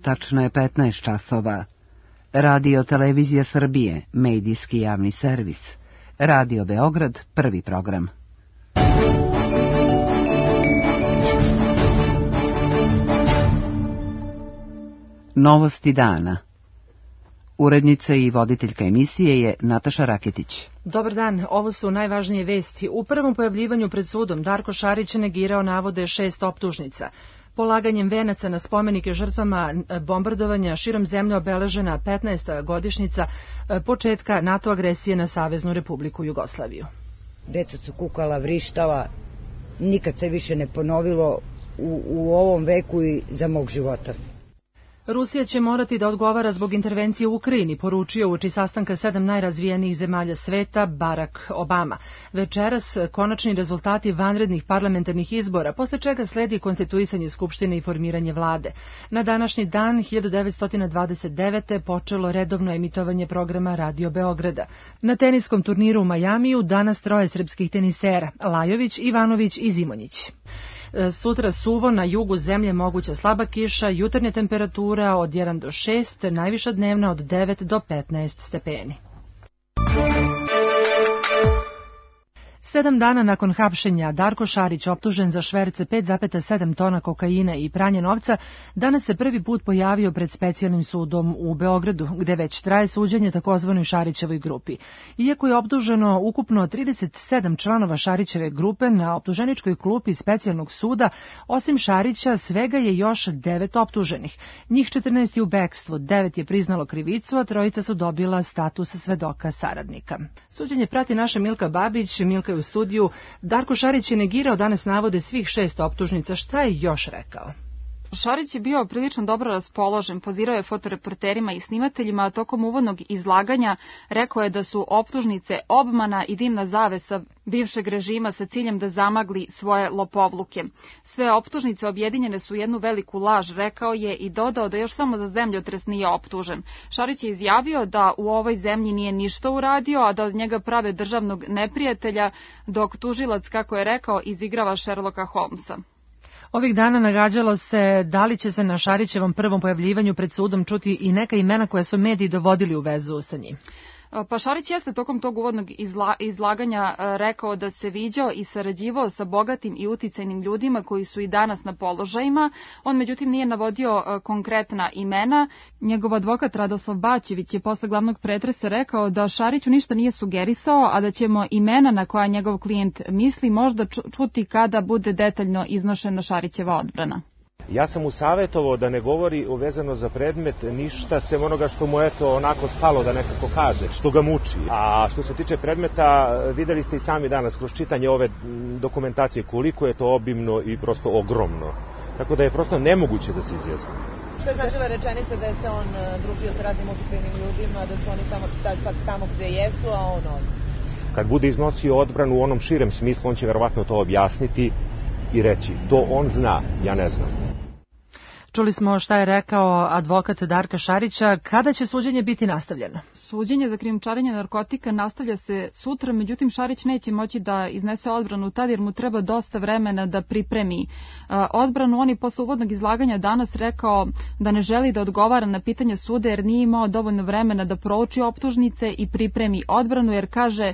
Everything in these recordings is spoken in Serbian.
Tačno je 15 časova. Radio Televizija Srbije, medijski javni servis. Radio Beograd, prvi program. Novosti dana. Urednica i voditeljka emisije je Nataša Raketić. Dobar dan, ovo su najvažnije vesti. U prvom pojavljivanju pred sudom Darko Šarić negirao navode 6 optužnica. Polaganjem venaca na spomenike žrtvama bombardovanja širom zemlje obeležena 15. godišnjica početka NATO agresije na Saveznu Republiku Jugoslaviju. Deca su kukala, vrištala, nikad se više ne ponovilo u ovom veku i za mog života. Rusija će morati da odgovara zbog intervencije u Ukrajini, poručio uoči sastanka 7 najrazvijenijih zemalja sveta Barack Obama. Večeras konačni rezultati vanrednih parlamentarnih izbora, posle čega sledi konstituisanje Skupštine i formiranje vlade. Na današnji dan 1929. počelo redovno emitovanje programa Radio Beograda. Na teniskom turniru u Majamiju danas 3 srpskih tenisera, Lajović, Ivanović i Zimonjić. Sutra suvo, na jugu zemlje moguća slaba kiša, jutarnja temperatura od 1 do 6, najviša dnevna od 9 do 15 stepeni. 7 dana nakon hapšenja, Darko Šarić, optužen za šverce 5,7 tona kokaina i pranje novca, danas se prvi put pojavio pred specijalnim sudom u Beogradu, gde već traje suđenje takozvanoj Šarićevoj grupi. Iako je optuženo ukupno 37 članova Šarićeve grupe, na optuženičkoj klupi specijalnog suda, osim Šarića, svega je još 9 optuženih. Njih 14 je u bekstvu, 9 je priznalo krivicu, a 3 su dobila status svedoka saradnika. Suđenje prati naša Milka Babić. Milka je u studiju. Darko Šarić je negirao danas navode svih 6 optužnica. Šta je još rekao? Šarić je bio prilično dobro raspoložen, pozirao je fotoreporterima i snimateljima, a tokom uvodnog izlaganja rekao je da su optužnice obmana i dimna zavesa bivšeg režima sa ciljem da zamagli svoje lopovluke. Sve optužnice objedinjene su u jednu veliku laž, rekao je i dodao da još samo za zemljotres nije optužen. Šarić je izjavio da u ovoj zemlji nije ništa uradio, a da od njega prave državnog neprijatelja, dok tužilac, kako je rekao, izigrava Sherlocka Holmesa. Ovih dana nagađalo se da li će se na Šarićevom prvom pojavljivanju pred sudom čuti i neka imena koja su mediji dovodili u vezu sa njim. Pa Šarić jeste tokom tog uvodnog izlaganja rekao da se viđao i sarađivao sa bogatim i uticajnim ljudima koji su i danas na položajima. On međutim nije navodio konkretna imena. Njegov advokat Radoslav Baćević je posle glavnog pretresa rekao da Šariću ništa nije sugerisao, a da ćemo imena na koja njegov klijent misli možda čuti kada bude detaljno iznošena Šarićeva odbrana. Ja sam mu savjetovao da ne govori vezano za predmet ništa sem onoga što mu onako spalo da nekako kaže, što ga muči. A što se tiče predmeta, videli ste i sami danas kroz čitanje ove dokumentacije koliko je to obimno i prosto ogromno. Tako da je prosto nemoguće da se izjasni. Što je značila rečenica da je se on družio sa raznim uticajnim ljudima, da su oni samo sad tamo gde jesu, a on ovdje? Kad bude iznosio odbranu u onom širem smislu, on će verovatno to objasniti i reći, to on zna, ja ne znam. Čuli smo šta je rekao advokat Darka Šarića. Kada će suđenje biti nastavljeno? Suđenje za krijumčarenje narkotika nastavlja se sutra, međutim Šarić neće moći da iznese odbranu tad jer mu treba dosta vremena da pripremi odbranu. On je posle uvodnog izlaganja danas rekao da ne želi da odgovara na pitanje suda jer nije imao dovoljno vremena da prouči optužnice i pripremi odbranu jer kaže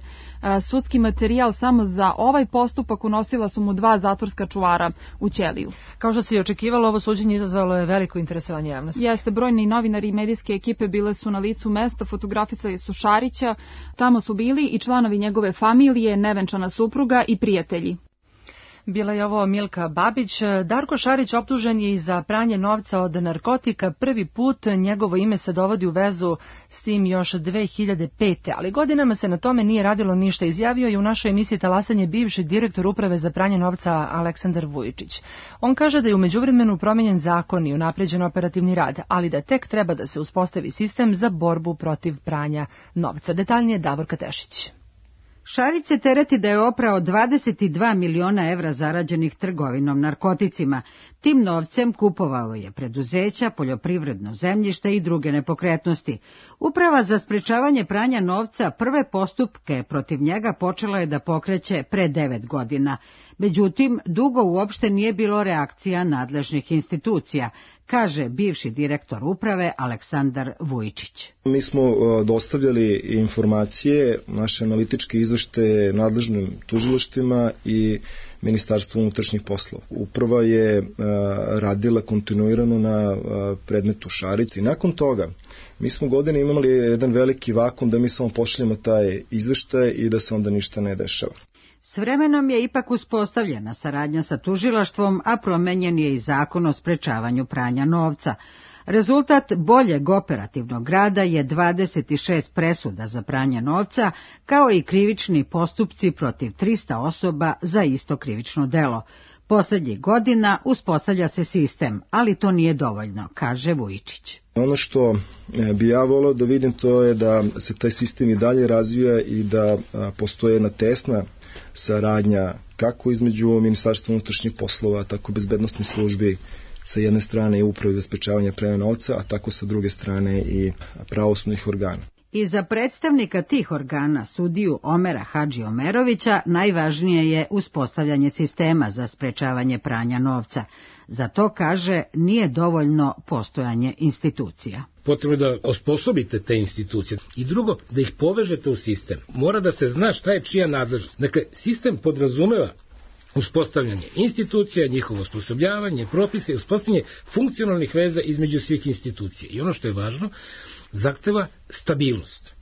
sudski materijal samo za ovaj postupak unosila su mu 2 zatvorska čuvara u ćeliju. Kao što se i očekivalo, ovo suđenje izazvalo je veliko interesovanje javnosti. Jeste, brojni novinari i medijske ekipe bile su na licu mesta, fotografisali su Šarića, tamo su bili i članovi njegove familije, nevenčana supruga i prijatelji. Bila je ovo Milka Babić. Darko Šarić optužen je i za pranje novca od narkotika. Prvi put njegovo ime se dovodi u vezu s tim još 2005. Ali godinama se na tome nije radilo ništa. Izjavio je u našoj emisiji Talasanje bivši direktor uprave za pranje novca Aleksandar Vujičić. On kaže da je u međuvremenu promenjen zakon i unapređen operativni rad, ali da tek treba da se uspostavi sistem za borbu protiv pranja novca. Detaljnije Davorka Tešić. Šarić se tereti da je oprao 22 miliona evra zarađenih trgovinom narkoticima. Tim novcem kupovao je preduzeća, poljoprivredno zemljište i druge nepokretnosti. Uprava za sprečavanje pranja novca prve postupke protiv njega počela je da pokreće pre 9 godina. Međutim, dugo uopšte nije bilo reakcija nadležnih institucija. kaže bivši direktor uprave Aleksandar Vujčić. Mi smo dostavljali informacije, naše analitičke izveštaje nadležnim tužilaštvima i Ministarstvo unutrašnjih poslova. Uprava je radila kontinuirano na predmetu Šarić i nakon toga mi smo godine imali jedan veliki vakum da mi samo pošaljemo taj izveštaj i da se onda ništa ne dešava. S vremenom je ipak uspostavljena saradnja sa tužilaštvom, a promenjen je i zakon o sprečavanju pranja novca. Rezultat boljeg operativnog rada je 26 presuda za pranje novca, kao i krivični postupci protiv 300 osoba za isto krivično delo. Poslednjih godina uspostavlja se sistem, ali to nije dovoljno, kaže Vujčić. Ono što bi ja voleo da vidim to je da se taj sistem i dalje razvija i da postoje jedna tesna saradnja kako između Ministarstva unutrašnjih poslova, tako i bezbednosnih službi sa jedne strane i Uprave za sprečavanje pranja novca, a tako sa druge strane i pravosudnih organa. I za predstavnika tih organa, sudiju Omera Hadži Omerovića, najvažnije je uspostavljanje sistema za sprečavanje pranja novca. Za to, kaže, nije dovoljno postojanje institucija. Potrebno je da osposobite te institucije. I drugo, da ih povežete u sistem. Mora da se zna šta je čija nadležnost. Dakle, sistem podrazumeva uspostavljanje institucija, njihovo osposobljavanje, propise, uspostavljanje funkcionalnih veza između svih institucija. I ono što je važno, zahteva stabilnost.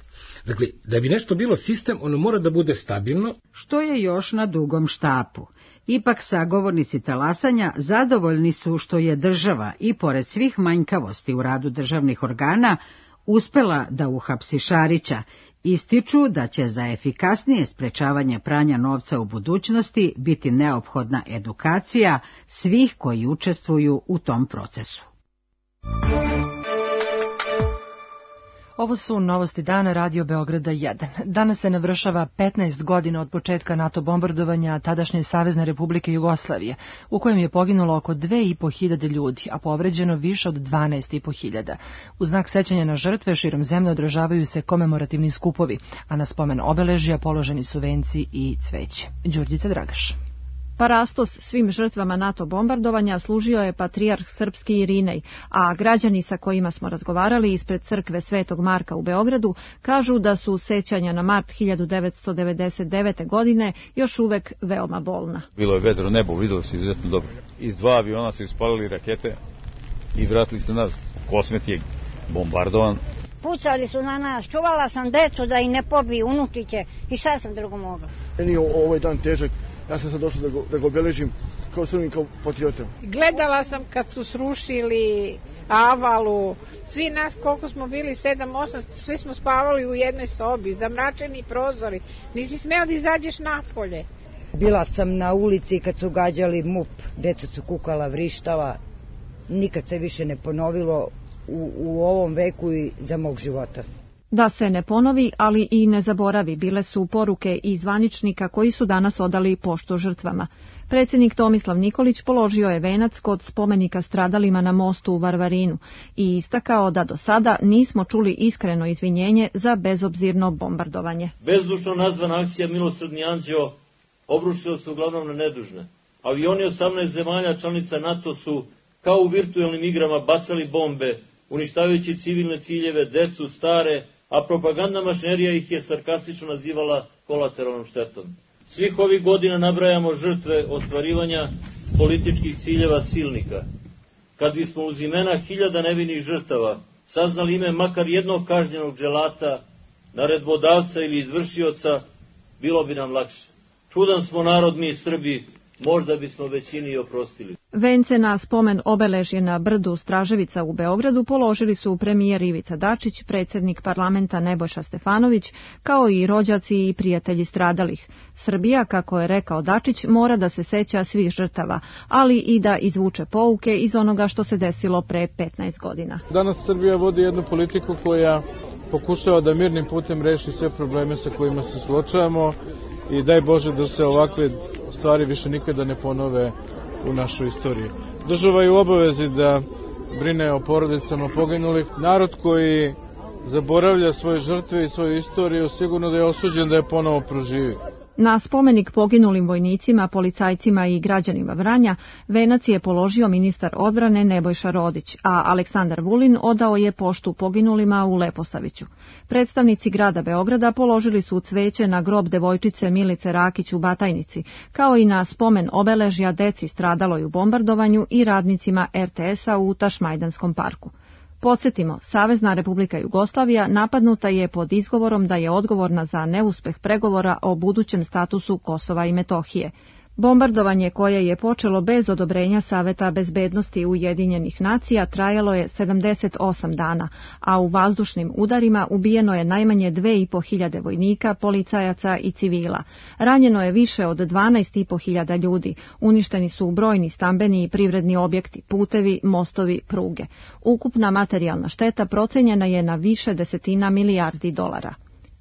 Dakle, da bi nešto bilo sistem, ono mora da bude stabilno. Što je još na dugom štapu. Ipak sagovornici talasanja zadovoljni su što je država, i pored svih manjkavosti u radu državnih organa, uspela da uhapsi Šarića. Ističu da će za efikasnije sprečavanje pranja novca u budućnosti biti neophodna edukacija svih koji učestvuju u tom procesu. Ovo su novosti dana Radio Beograda 1. Danas se navršava 15 godina od početka NATO bombardovanja tadašnje Savezne Republike Jugoslavije, u kojem je poginulo oko 2.500 ljudi, a povređeno više od 12.500. U znak sećanja na žrtve širom zemlje održavaju se komemorativni skupovi, a na spomen obeležja položeni su venci i cveće. Đurđica Dragaš. Parastos svim žrtvama NATO bombardovanja služio je patrijarh srpski Irinej, a građani sa kojima smo razgovarali ispred crkve Svetog Marka u Beogradu kažu da su sećanja na mart 1999. godine još uvek veoma bolna. Bilo je vedro nebo, videlo se izuzetno dobro. Iz 2 aviona su ispalili rakete i vratili se nas. Kosmet je bombardovan. Pucali su na nas, čuvala sam decu da i ne pobiju unučiće i šta sam drugo mogla. Meni je ovaj dan težak. Ja sam sad došao da ga obeležim kao Srbin, kao patriota. Gledala sam kad su srušili Avalu, svi nas koliko smo bili, 7-8, svi smo spavali u jednoj sobi, zamračeni prozori, nisi smeo da izađeš napolje. Bila sam na ulici kad su gađali MUP, deca su kukala, vrištala, nikad se više ne ponovilo u ovom veku i za mog života. Da se ne ponovi, ali i ne zaboravi, bile su poruke i zvaničnika koji su danas odali poštu žrtvama. Predsjednik Tomislav Nikolić položio je venac kod spomenika stradalima na mostu u Varvarinu i istakao da do sada nismo čuli iskreno izvinjenje za bezobzirno bombardovanje. Bezdušno nazvana akcija Milosrdni anđeo obrušila se uglavnom na nedužne. Avioni 18 zemalja članica NATO su kao u virtualnim igrama bacali bombe, uništavajući civilne ciljeve, decu, stare, a propagandna mašinerija ih je sarkastično nazivala kolateralnom štetom. Svih ovih godina nabrajamo žrtve ostvarivanja političkih ciljeva silnika. Kad bismo uz imena hiljada nevinih žrtava saznali ime makar jednog kažnjenog dželata, naredbodavca ili izvršioca, bilo bi nam lakše. Čudan smo narod mi Srbi, možda bismo većini i oprostili. Vence na spomen obeležje na brdu Straževica u Beogradu položili su premijer Ivica Dačić, predsjednik parlamenta Nebojša Stefanović, kao i rođaci i prijatelji stradalih. Srbija, kako je rekao Dačić, mora da se seća svih žrtava, ali i da izvuče pouke iz onoga što se desilo pre 15 godina. Danas Srbija vodi jednu politiku koja pokušava da mirnim putem reši sve probleme sa kojima se suočavamo i daj Bože da se ovakve stvari više nikada ne ponove u našoj istoriji. Država je u obavezi da brine o porodicama poginulih. Narod koji zaboravlja svoje žrtve i svoju istoriju sigurno da je osuđen da je ponovo proživi. Na spomenik poginulim vojnicima, policajcima i građanima Vranja venac je položio ministar odbrane Nebojša Rodić, a Aleksandar Vulin odao je poštu poginulima u Leposaviću. Predstavnici grada Beograda položili su cveće na grob devojčice Milice Rakić u Batajnici, kao i na spomen obeležja deci stradaloj u bombardovanju i radnicima RTS-a u Tašmajdanskom parku. Podsjetimo, Savezna Republika Jugoslavija napadnuta je pod izgovorom da je odgovorna za neuspeh pregovora o budućem statusu Kosova i Metohije. Bombardovanje koje je počelo bez odobrenja Saveta bezbednosti Ujedinjenih nacija trajalo je 78 dana, a u vazdušnim udarima ubijeno je najmanje 2.500 vojnika, policajaca i civila. Ranjeno je više od 12.500 ljudi, uništeni su brojni stambeni i privredni objekti, putevi, mostovi, pruge. Ukupna materijalna šteta procenjena je na više desetina milijardi dolara.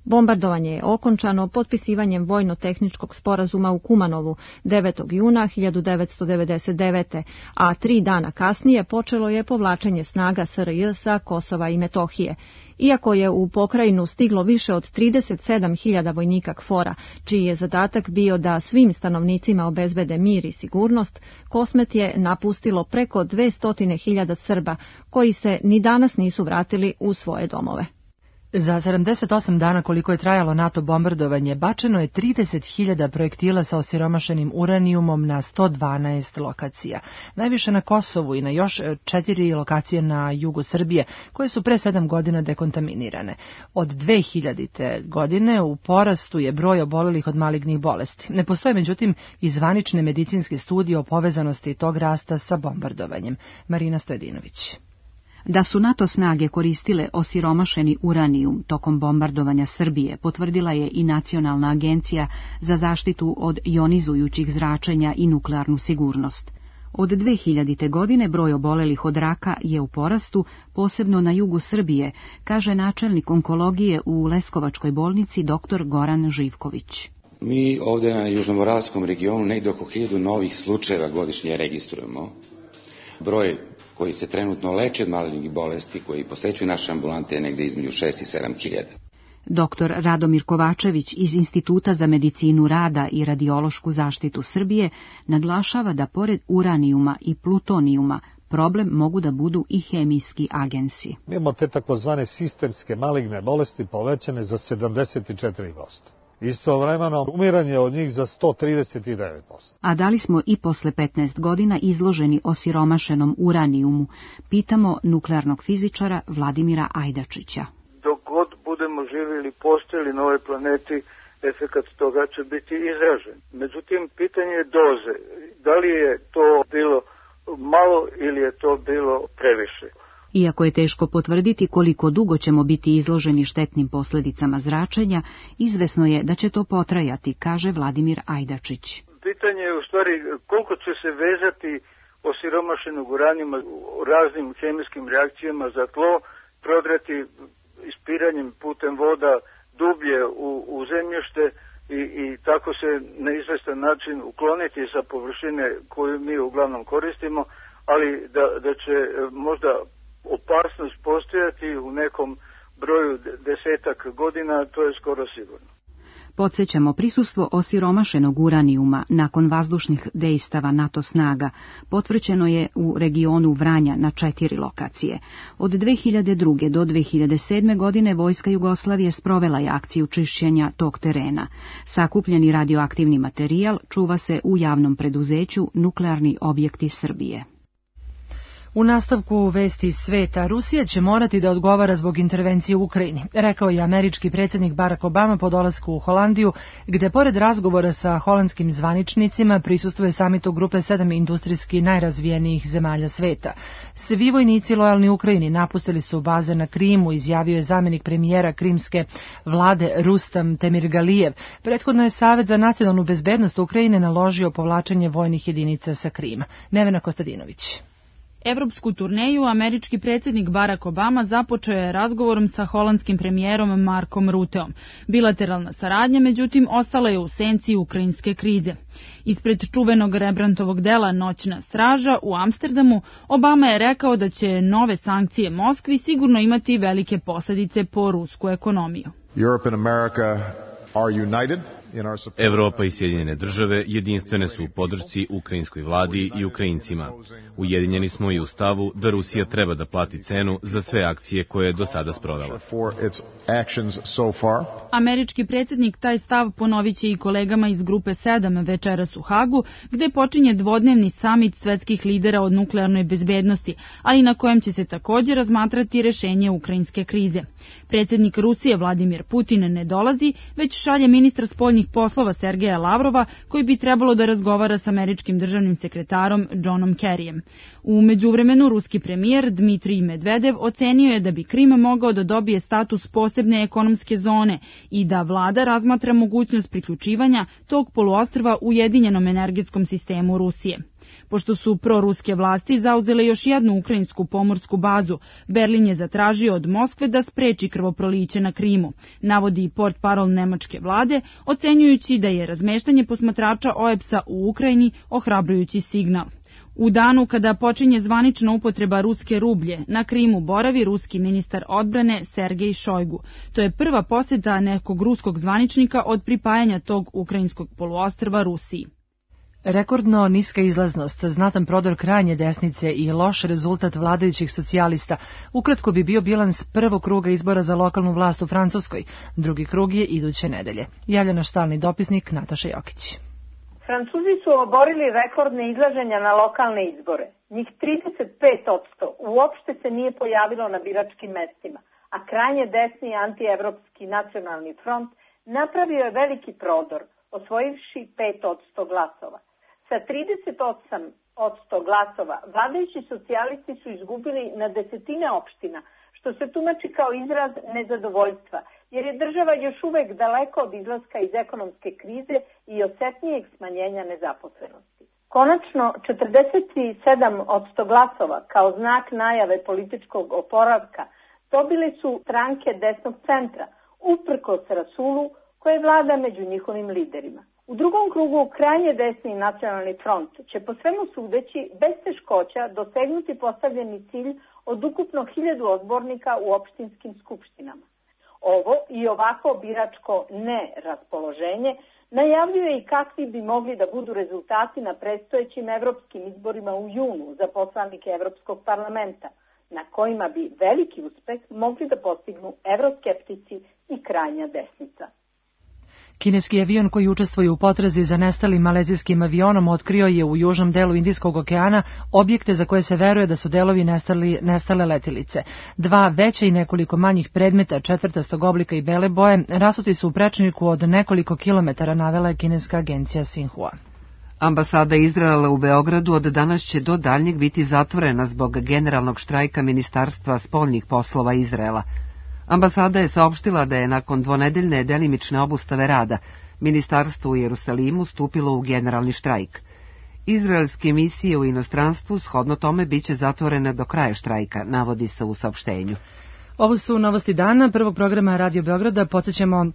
Bombardovanje je okončano potpisivanjem vojno-tehničkog sporazuma u Kumanovu 9. juna 1999. a 3 dana kasnije počelo je povlačenje snaga SRJ sa Kosova i Metohije. Iako je u pokrajinu stiglo više od 37.000 vojnika KFOR-a, čiji je zadatak bio da svim stanovnicima obezbede mir i sigurnost, Kosmet je napustilo preko 200.000 Srba, koji se ni danas nisu vratili u svoje domove. Za 78 dana koliko je trajalo NATO bombardovanje, bačeno je 30.000 projektila sa osiromašenim uranijumom na 112 lokacija. Najviše na Kosovu i na još 4 lokacije na jugu Srbije, koje su pre 7 godina dekontaminirane. Od 2000. godine u porastu je broj obolelih od malignih bolesti. Ne postoje međutim i zvanične medicinske studije o povezanosti tog rasta sa bombardovanjem. Marina Stojedinović. Da su NATO snage koristile osiromašeni uranijum tokom bombardovanja Srbije, potvrdila je i Nacionalna agencija za zaštitu od jonizujućih zračenja i nuklearnu sigurnost. Od 2000. godine broj obolelih od raka je u porastu, posebno na jugu Srbije, kaže načelnik onkologije u Leskovačkoj bolnici dr. Goran Živković. Mi ovdje na južnomoravskom regionu negdje oko 1000 novih slučajeva godišnje registrujemo. Broj koji se trenutno leče od malignih bolesti, koji posećuju naše ambulante, je negdje između 6 i 7.000. Dr. Radomir Kovačević iz Instituta za medicinu rada i radiološku zaštitu Srbije naglašava da pored uranijuma i plutonijuma problem mogu da budu i hemijski agensi. Mi imamo te takozvane sistemske maligne bolesti povećane za 74%. Istovremeno umiranje od njih za 139%. A da li smo i posle 15 godina izloženi osiromašenom uranijumu, pitamo nuklearnog fizičara Vladimira Ajdačića. Dok god budemo živjeli, postojali na ovoj planeti, efekat toga će biti izražen. Međutim, pitanje je doze. Da li je to bilo malo ili je to bilo previše? Iako je teško potvrditi koliko dugo ćemo biti izloženi štetnim posljedicama zračenja, izvesno je da će to potrajati, kaže Vladimir Ajdačić. Pitanje je u stvari koliko će se vezati osiromašenog uranijuma raznim hemijskim reakcijama za tlo, prodrati ispiranjem putem voda dublje u zemljište i tako se na izvestan način ukloniti sa površine koju mi uglavnom koristimo, ali da će možda opasnost postojati u nekom broju 10 godina, to je skoro sigurno. Podsjećamo, prisustvo osiromašenog uranijuma nakon vazdušnih dejstava NATO snaga potvrđeno je u regionu Vranja na 4 lokacije. Od 2002. do 2007. godine Vojska Jugoslavije sprovela je akciju čišćenja tog terena. Sakupljeni radioaktivni materijal čuva se u javnom preduzeću Nuklearni objekti Srbije. U nastavku vesti sveta, Rusija će morati da odgovara zbog intervencije u Ukrajini, rekao je američki predsjednik Barack Obama po dolasku u Holandiju, gde pored razgovora sa holandskim zvaničnicima prisustvuje samitu grupe 7 industrijski najrazvijenijih zemalja sveta. Svi vojnici lojalni Ukrajini napustili su baze na Krimu, izjavio je zamjenik premijera krimske vlade Rustam Temirgalijev. Prethodno je Savet za nacionalnu bezbednost Ukrajine naložio povlačenje vojnih jedinica sa Krima. Nevena Kostadinović. Evropsku turneju američki predsjednik Barack Obama započeo je razgovorom sa holandskim premijerom Markom Ruteom. Bilateralna saradnja, međutim, ostala je u senci ukrajinske krize. Ispred čuvenog Rembrandtovog dela Noćna straža u Amsterdamu, Obama je rekao da će nove sankcije Moskvi sigurno imati velike posljedice po rusku ekonomiju. Europe and America are united Evropa i Sjedinjene države jedinstvene su u podršci ukrajinskoj vladi i Ukrajincima. Ujedinjeni smo i u stavu da Rusija treba da plati cenu za sve akcije koje je do sada sprovela. Američki predsjednik taj stav ponovit će i kolegama iz Grupe 7 večeras u Hagu, gde počinje dvodnevni samit svetskih lidera o nuklearnoj bezbednosti, ali na kojem će se također razmatrati rešenje ukrajinske krize. Predsjednik Rusije Vladimir Putin ne dolazi, već šalje ministra spoljnih poslova Sergeja Lavrova, koji bi trebalo da razgovara s američkim državnim sekretarom Johnom Kerryjem. U međuvremenu ruski premijer Dmitrij Medvedev ocenio je da bi Krim mogao da dobije status posebne ekonomske zone i da vlada razmatra mogućnost priključivanja tog poluostrva ujedinjenom energetskom sistemu Rusije. Pošto su proruske vlasti zauzele još jednu ukrajinsku pomorsku bazu, Berlin je zatražio od Moskve da spreči krvoproliće na Krimu, navodi portparol nemačke vlade, ocenjujući da je razmeštanje posmatrača OEBS-a u Ukrajini ohrabrujući signal. U danu kada počinje zvanična upotreba ruske rublje, na Krimu boravi ruski ministar odbrane Sergej Šojgu. To je prva posjeta nekog ruskog zvaničnika od pripajanja tog ukrajinskog poluostrva Rusiji. Rekordno niska izlaznost, znatan prodor krajnje desnice i loš rezultat vladajućih socijalista ukratko bi bio bilans prvog kruga izbora za lokalnu vlast u Francuskoj. Drugi krug je iduće nedelje. Javlja naš stalni dopisnik Nataša Jokić. Francuzi su oborili rekordne izlaženja na lokalne izbore. Njih 35% uopšte se nije pojavilo na biračkim mestima, a krajnje desni antievropski nacionalni front napravio je veliki prodor, osvojivši 5% glasova. Sa 38% glasova vladajući socijalisti su izgubili na desetine opština, što se tumači kao izraz nezadovoljstva, jer je država još uvek daleko od izlaska iz ekonomske krize i osetnijeg smanjenja nezaposlenosti. Konačno, 47% glasova kao znak najave političkog oporavka dobili su stranke desnog centra, uprkos rasulu koje vlada među njihovim liderima. U drugom krugu krajnje desni nacionalni front će po svemu sudeći bez teškoća dosegnuti postavljeni cilj od ukupno 1000 odbornika u opštinskim skupštinama. Ovo i ovako biračko neraspoloženje najavljuje i kakvi bi mogli da budu rezultati na predstojećim evropskim izborima u junu za poslanike Evropskog parlamenta, na kojima bi veliki uspeh mogli da postignu evroskeptici i krajnja desnica. Kineski avion koji učestvuje u potrazi za nestalim malezijskim avionom otkrio je u južnom delu Indijskog okeana objekte za koje se veruje da su delovi nestale letilice. Dva veća i nekoliko manjih predmeta četvrtastog oblika i bele boje rasuti su u prečniku od nekoliko kilometara, navela je kineska agencija Xinhua. Ambasada Izraela u Beogradu od danas će do daljnjeg biti zatvorena zbog generalnog štrajka Ministarstva spoljnih poslova Izraela. Ambasada je saopštila da je nakon dvonedeljne delimične obustave rada ministarstvo u Jerusalimu stupilo u generalni štrajk. Izraelske misije u inostranstvu shodno tome biće zatvorene do kraja štrajka, navodi se u saopštenju. Ovo su novosti dana prvog programa Radio Beograda. Podsjećamo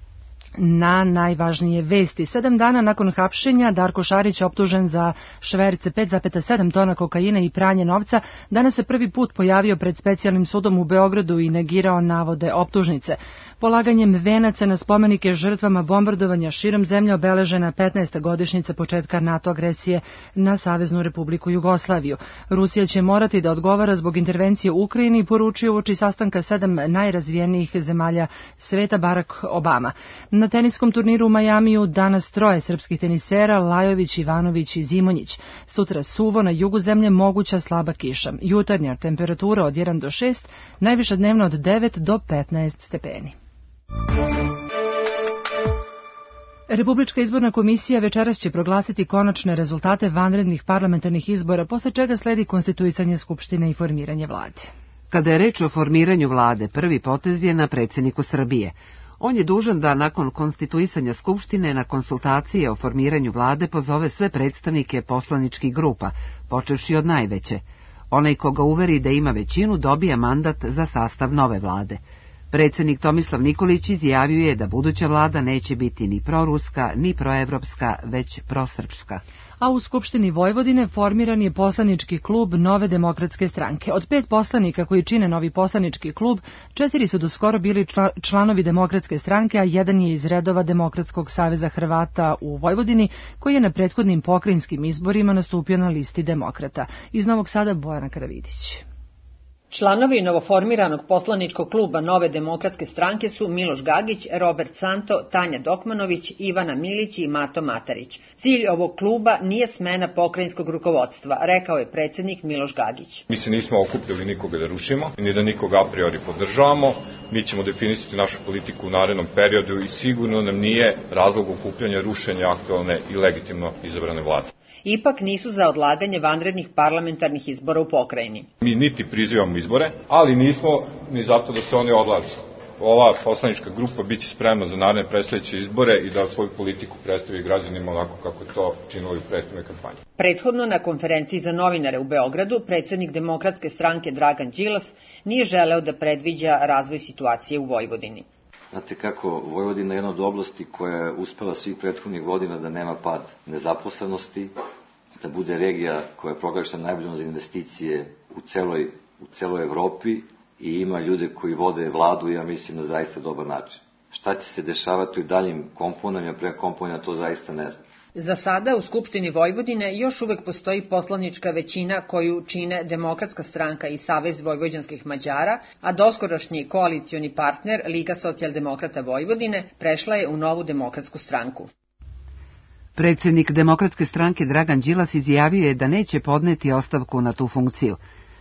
na najvažnije vesti. 7 dana nakon hapšenja, Darko Šarić, optužen za šverc 5,7 tona kokaina i pranje novca, danas se prvi put pojavio pred specijalnim sudom u Beogradu i negirao navode optužnice. Polaganjem venaca na spomenike žrtvama bombardovanja širom zemlje obeležena 15. godišnjica početka NATO agresije na Saveznu Republiku Jugoslaviju. Rusija će morati da odgovara zbog intervencije u Ukrajini, poručio uoči sastanka 7 najrazvijenijih zemalja sveta Barack Obama. Na teniskom turniru u Majamiju danas 3 srpskih tenisera, Lajović, Ivanović i Zimonjić. Sutra suvo, na jugu zemlje moguća slaba kiša. Jutarnja temperatura od 1 do 6, najviša dnevno od 9 do 15 stepeni. Republička izborna komisija večeras će proglasiti konačne rezultate vanrednih parlamentarnih izbora, posle čega sledi konstituisanje Skupštine i formiranje vlade. Kada je reč o formiranju vlade, prvi potez je na predsjedniku Srbije. On je dužan da nakon konstituisanja Skupštine na konsultacije o formiranju vlade pozove sve predstavnike poslaničkih grupa, počevši od najveće. Onaj koga uveri da ima većinu dobija mandat za sastav nove vlade. Predsednik Tomislav Nikolić izjavio je da buduća vlada neće biti ni proruska, ni proevropska, već prosrpska. A u Skupštini Vojvodine formiran je poslanički klub Nove demokratske stranke. Od 5 poslanika koji čine novi poslanički klub, 4 su doskoro bili članovi Demokratske stranke, a 1 je iz redova Demokratskog saveza Hrvata u Vojvodini, koji je na prethodnim pokrajinskim izborima nastupio na listi demokrata. Iz Novog Sada Bojana Karavidić. Članovi novoformiranog poslaničkog kluba Nove demokratske stranke su Miloš Gagić, Robert Santo, Tanja Dokmanović, Ivana Milić i Mato Matarić. Cilj ovog kluba nije smena pokrajinskog rukovodstva, rekao je predsednik Miloš Gagić. Mi se nismo okupili nikoga da rušimo, ni da nikoga a priori podržavamo. Mi ćemo definisati našu politiku u narednom periodu i sigurno nam nije razlog okupljanja rušenja aktualne i legitimno izabrane vlade. Ipak nisu za odlaganje vanrednih parlamentarnih izbora u pokrajini. Mi niti prizivamo izbore, ali nismo ni zato da se oni odlažu. Ova poslanička grupa biće spremna za naredne predstojeće izbore i da svoju politiku predstavi građanima onako kako je to činilo i u prethodnoj kampanji. Prethodno na konferenciji za novinare u Beogradu predsednik Demokratske stranke Dragan Đilas nije želeo da predviđa razvoj situacije u Vojvodini. Znate kako, Vojvodina je jedna od oblasti koja je uspela svih prethodnih godina da nema pad nezaposlenosti, da bude regija koja je proglašena najboljom za investicije u celoj Evropi i ima ljude koji vode vladu, ja mislim, na zaista dobar način. Šta će se dešavati u daljim komponama, prema komponama, to zaista ne znam. Za sada u Skupštini Vojvodine još uvek postoji poslanička većina koju čine Demokratska stranka i Savez vojvođanskih Mađara, a doskorašnji koalicioni partner Liga socijaldemokrata Vojvodine prešla je u Novu demokratsku stranku. Predsednik Demokratske stranke Dragan Đilas izjavio je da neće podneti ostavku na tu funkciju.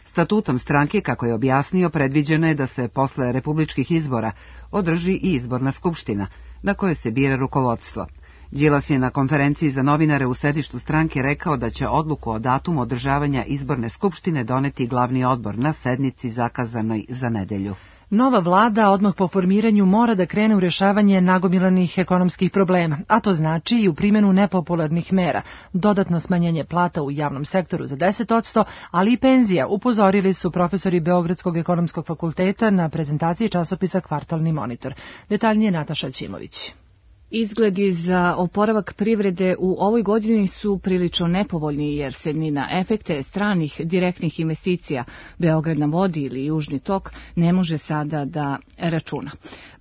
Statutom stranke, kako je objasnio, predviđeno je da se posle republičkih izbora održi i izborna skupština, na kojoj se bira rukovodstvo. Đilas je na konferenciji za novinare u sedištu stranke rekao da će odluku o datumu održavanja izborne skupštine doneti glavni odbor na sednici zakazanoj za nedelju. Nova vlada odmah po formiranju mora da krene u rešavanje nagomilanih ekonomskih problema, a to znači i u primjenu nepopularnih mera, dodatno smanjenje plata u javnom sektoru za 10%, ali i penzija, upozorili su profesori Beogradskog ekonomskog fakulteta na prezentaciji časopisa Kvartalni monitor. Detaljnije Nataša Ćimović. Izgledi za oporavak privrede u ovoj godini su prilično nepovoljni jer se ni na efekte stranih direktnih investicija Beograd na vodi ili Južni tok ne može sada da računa.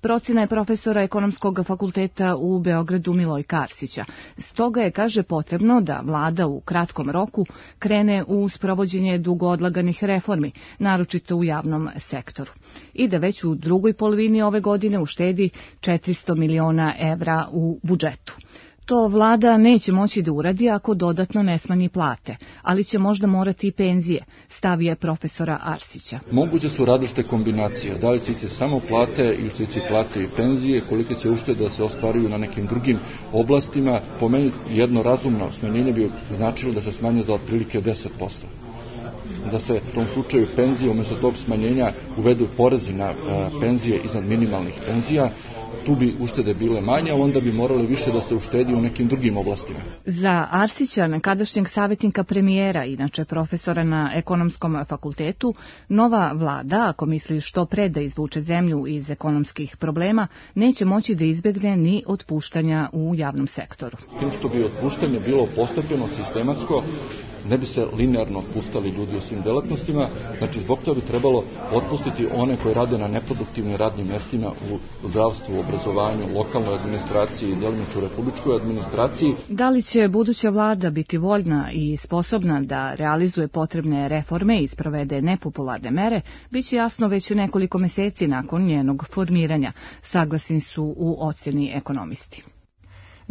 Procena je profesora ekonomskog fakulteta u Beogradu Milojka Arsića. Stoga je, kaže, potrebno da vlada u kratkom roku krene u sprovođenje dugo odlaganih reformi, naročito u javnom sektoru, i da već u drugoj polovini ove godine uštedi 400 miliona evra u budžetu. To vlada neće moći da uradi ako dodatno ne smanji plate, ali će možda morati i penzije, stav je profesora Arsića. Moguće su različite kombinacije, da li će ići samo plate ili će ići plate i penzije, kolike će uštede da se ostvaruju na nekim drugim oblastima. Po meni jedno razumno smanjenje bi značilo da se smanje za otprilike 10%. Da se u tom slučaju penzije umjesto tog smanjenja uvedu porezi na penzije iznad minimalnih penzija. Tu bi uštede bile manje, onda bi morali više da se uštedi u nekim drugim oblastima. Za Arsića, nekadašnjeg savjetnika premijera, inače profesora na ekonomskom fakultetu, nova vlada, ako misli što pre da izvuče zemlju iz ekonomskih problema, neće moći da izbegne ni otpuštanja u javnom sektoru. Tim što bi otpuštanje bilo postepeno, sistematsko, ne bi se linearno otpuštali ljudi u svim delatnostima, znači zbog toga bi trebalo otpustiti one koji rade na neproduktivnim radnim mjestima u zdravstvu, obrazovanju, lokalnoj administraciji i delimično republičkoj administraciji. Da li će buduća vlada biti voljna i sposobna da realizuje potrebne reforme i sprovede nepopularne mere, bit će jasno već nekoliko meseci nakon njenog formiranja, saglasni su u ocjeni ekonomisti.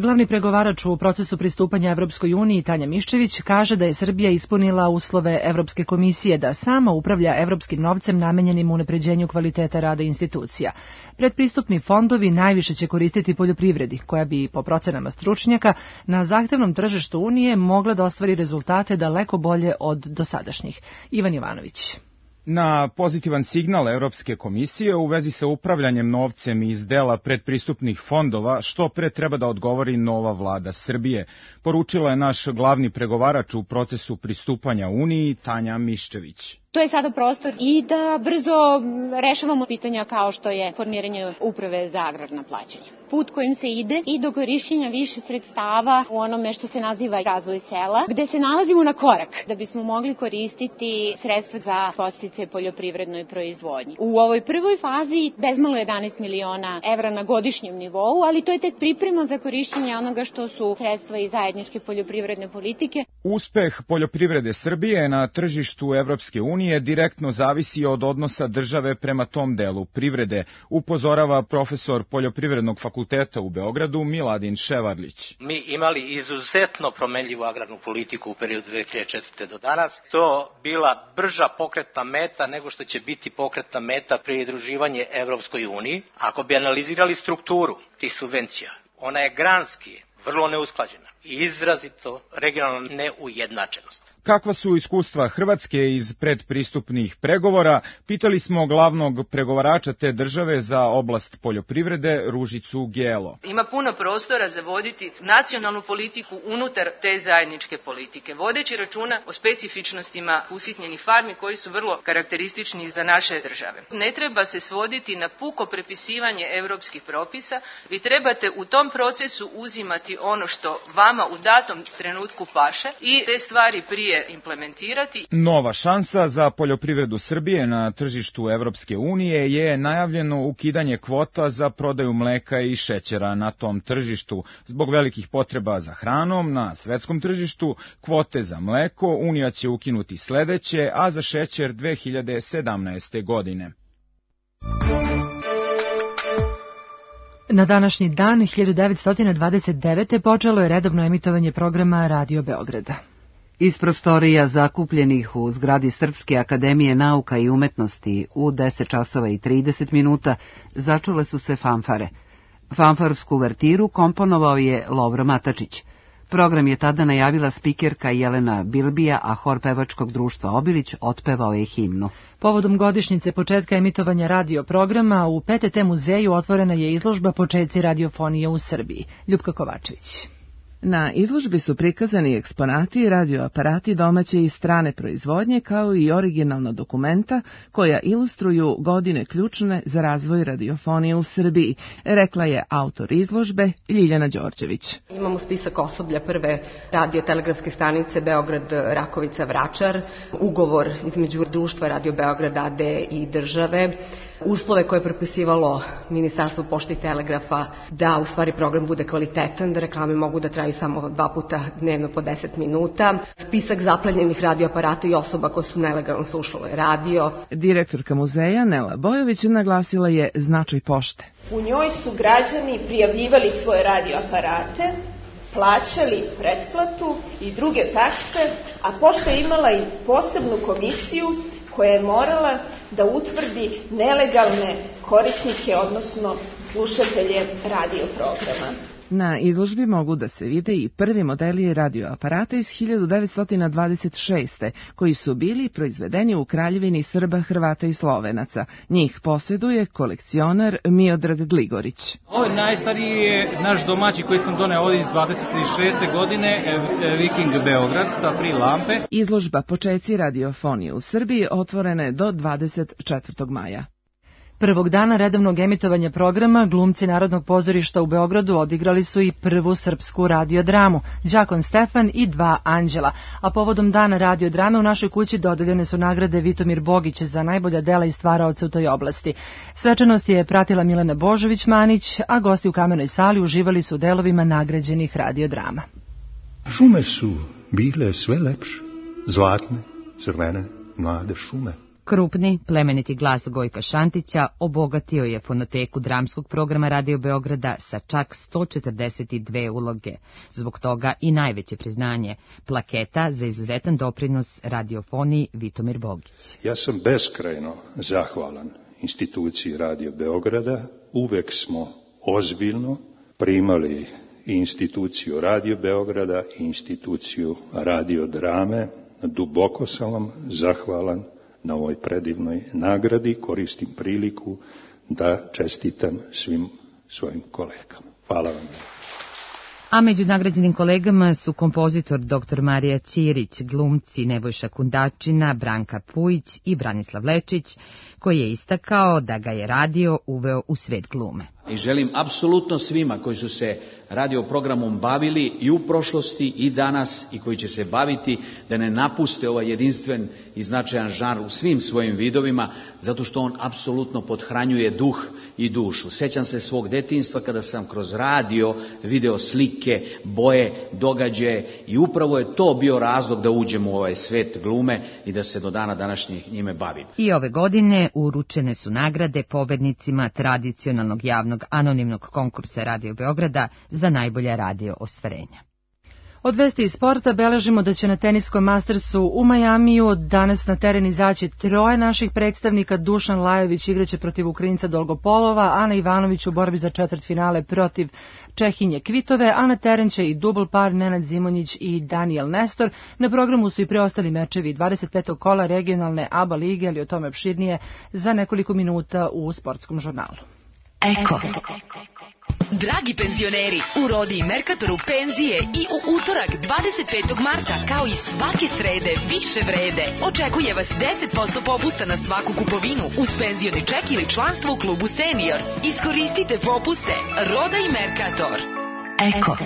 Glavni pregovarač u procesu pristupanja Evropskoj uniji, Tanja Miščević, kaže da je Srbija ispunila uslove Evropske komisije da sama upravlja evropskim novcem namenjenim unapređenju kvaliteta rada institucija. Predpristupni fondovi najviše će koristiti poljoprivredi, koja bi, po procenama stručnjaka, na zahtevnom tržištu Unije mogla da ostvari rezultate daleko bolje od dosadašnjih. Ivan Jovanović. Na pozitivan signal Evropske komisije u vezi sa upravljanjem novcem iz dela predpristupnih fondova što pre treba da odgovori nova vlada Srbije, poručila je naš glavni pregovarač u procesu pristupanja Uniji Tanja Miščević. To je sada prostor i da brzo rešavamo pitanja kao što je formiranje uprave za agrarna plaćanja. Put kojim se ide i do korišćenja više sredstava u onome što se naziva razvoj sela, gde se nalazimo na korak da bismo mogli koristiti sredstva za podsticaje poljoprivrednoj proizvodnji. U ovoj prvoj fazi bezmalo 11 miliona evra na godišnjem nivou, ali to je tek priprema za korišćenje onoga što su sredstva iz zajedničke poljoprivredne politike. Uspeh poljoprivrede Srbije na tržištu Evropske unije direktno zavisi od odnosa države prema tom delu privrede, upozorava profesor Poljoprivrednog fakulteta u Beogradu Miladin Ševarlić. Mi imali izuzetno promenljivu agrarnu politiku u periodu 2004. do danas. To bila brža pokretna meta nego što će biti pokretna meta pridruživanje Evropskoj uniji. Ako bi analizirali strukturu tih subvencija, ona je granski vrlo neusklađena i izrazito regionalna neujednačenost. Kakva su iskustva Hrvatske iz predpristupnih pregovora, pitali smo glavnog pregovarača te države za oblast poljoprivrede Ružicu Gelo. Ima puno prostora za voditi nacionalnu politiku unutar te zajedničke politike, vodeći računa o specifičnostima usitnjenih farmi koji su vrlo karakteristični za naše države. Ne treba se svoditi na puko prepisivanje europskih propisa, vi trebate u tom procesu uzimati ono što vama u datom trenutku paše i te stvari prije implementirati. Nova šansa za poljoprivredu Srbije na tržištu Evropske unije je najavljeno ukidanje kvota za prodaju mleka i šećera na tom tržištu. Zbog velikih potreba za hranom na svetskom tržištu, kvote za mleko Unija će ukinuti sledeće, a za šećer 2017. godine. Na današnji dan 1929. počelo je redovno emitovanje programa Radio Beograda. Iz prostorija zakupljenih u zgradi Srpske akademije nauka i umetnosti u 10 časova i 30 minuta začule su se fanfare. Fanfarsku uvertiru komponovao je Lovro Matačić. Program je tada najavila spikerka Jelena Bilbija, a hor pevačkog društva Obilić otpevao je himnu. Povodom godišnjice početka emitovanja radio programa u PTT muzeju otvorena je izložba Počeci radiofonije u Srbiji. Ljupka Kovačević. Na izložbi su prikazani eksponati i radioaparati domaće i strane proizvodnje, kao i originalna dokumenta koja ilustruju godine ključne za razvoj radiofonije u Srbiji, rekla je autor izložbe Ljiljana Đorđević. Imamo spisak osoblja prve radiotelegrafske stanice Beograd Rakovica Vračar, ugovor između društva Radio Beograd AD i države, uslove koje je propisivalo Ministarstvo pošte i telegrafa da u stvari program bude kvalitetan, da reklame mogu da traju samo 2 puta dnevno po 10 minuta, spisak zaplenjenih radioaparata i osoba koje su nelegalno slušale radio. Direktorka muzeja Nela Bojović naglasila je značaj pošte. U njoj su građani prijavljivali svoje radioaparate, plaćali pretplatu i druge takse, a pošta je imala i posebnu komisiju koja je morala da utvrdi nelegalne korisnike, odnosno slušatelje radioprograma. Na izložbi mogu da se vide i prvi modeli radioaparata iz 1926. koji su bili proizvedeni u Kraljevini Srba, Hrvata i Slovenaca. Njih posjeduje kolekcionar Miodrag Gligorić. Ovo je najstariji je naš domaći koji sam doneo ovdje iz 26. godine, Viking Beograd sa 3 lampe. Izložba Počeci radiofonije u Srbiji otvorena je do 24. maja. Prvog dana redovnog emitovanja programa glumci Narodnog pozorišta u Beogradu odigrali su i prvu srpsku radiodramu, Đakon Stefan i 2 anđela, a povodom dana radiodrame u našoj kući dodeljene su nagrade Vitomir Bogić za najbolja dela i stvaraoca u toj oblasti. Svečanost je pratila Milena Božović-Manić, a gosti u Kamenoj sali uživali su u delovima nagrađenih radiodrama. Šume su bile sve lepše, zlatne, crvene, mlade šume. Krupni, plemeniti glas Gojka Šantića obogatio je fonoteku dramskog programa Radio Beograda sa čak 142 uloge. Zbog toga i najveće priznanje, plaketa za izuzetan doprinos radiofoniji Vitomir Bogić. Ja sam beskrajno zahvalan instituciji Radio Beograda. Uvek smo ozbiljno primali i instituciju Radio Beograda i instituciju radiodrame. Duboko sam vam zahvalan na ovoj predivnoj nagradi. Koristim priliku da čestitam svim svojim kolegama. Hvala vam. A među nagrađenim kolegama su kompozitor dr. Marija Ćirić, glumci Nebojša Kundačina, Branka Pujić i Branislav Lečić, koji je istakao da ga je radio uveo u svet glume. I želim apsolutno svima koji su se radio programom bavili i u prošlosti i danas i koji će se baviti da ne napuste ovaj jedinstven i značajan žanr u svim svojim vidovima, zato što on apsolutno pothranjuje duh i dušu. Sećam se svog detinjstva kada sam kroz radio video slike, boje, događaje i upravo je to bio razlog da uđem u ovaj svet glume i da se do dana današnjih njime bavim. I ove godine uručene su nagrade pobednicima tradicionalnog javnog anonimnog konkursa Radio Beograda za najbolja radio ostvarenja. Od vesti iz sporta beležimo da će na teniskom Mastersu u Majamiju danas na teren izaći 3 naših predstavnika. Dušan Lajović igraće protiv Ukrajinca Dolgopolova, Ana Ivanović u borbi za četvrtfinale protiv Čehinje Kvitove, a na teren će i dubl par Nenad Zimonjić i Daniel Nestor. Na programu su i preostali mečevi 25. kola regionalne ABA lige, ali o tome opširnije za nekoliko minuta u sportskom žurnalu. Eko. Dragi penzioneri, u Rodi i Merkatoru penzije i u utorak 25. marta, kao i svake srede, više vrede. Očekuje vas 10% popusta na svaku kupovinu uz penzioni ček ili članstvo u klubu Senior. Iskoristite popuste. Roda i Merkator. Eko.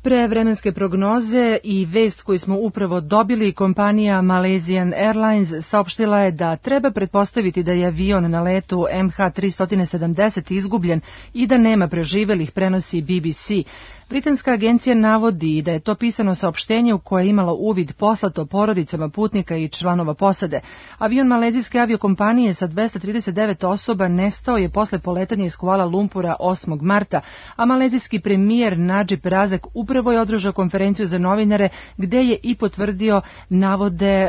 Pre vremenske prognoze i vest koju smo upravo dobili, kompanija Malaysian Airlines saopštila je da treba pretpostaviti da je avion na letu MH370 izgubljen i da nema preživelih, prenosi BBC. Britanska agencija navodi da je to pisano saopštenje u koje je imalo uvid poslato porodicama putnika i članova posade. Avion malezijske aviokompanije sa 239 osoba nestao je posle poletanja iz Kuala Lumpura 8. marta, a malezijski premijer Nadžib Razak upravo je održao konferenciju za novinare gde je i potvrdio navode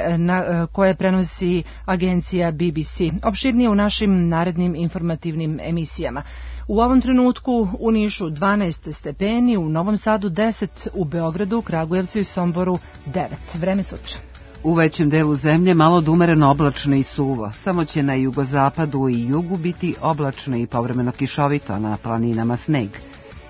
koje prenosi agencija BBC. Opširnije u našim narednim informativnim emisijama. U ovom trenutku u Nišu 12 stepeni, u Novom Sadu 10, u Beogradu, Kragujevcu i Somboru 9. Vreme sutra. U većem delu zemlje malo umereno oblačno i suvo. Samo će na jugozapadu i jugu biti oblačno i povremeno kišovito, a na planinama sneg.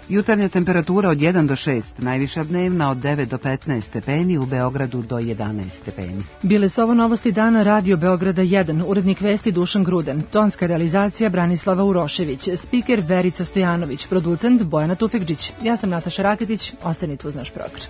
Jutarnja temperatura od 1 do 6, najviša dnevna od 9 do 15 stepeni, u Beogradu do 11 stepeni. Bile su ovo novosti dana Radio Beograda 1, urednik vesti Dušan Gruden, tonska realizacija Branislava Urošević, spiker Verica Stojanović, producent Bojana Tufekđić. Ja sam Nataša Raketić, ostanite uz naš program.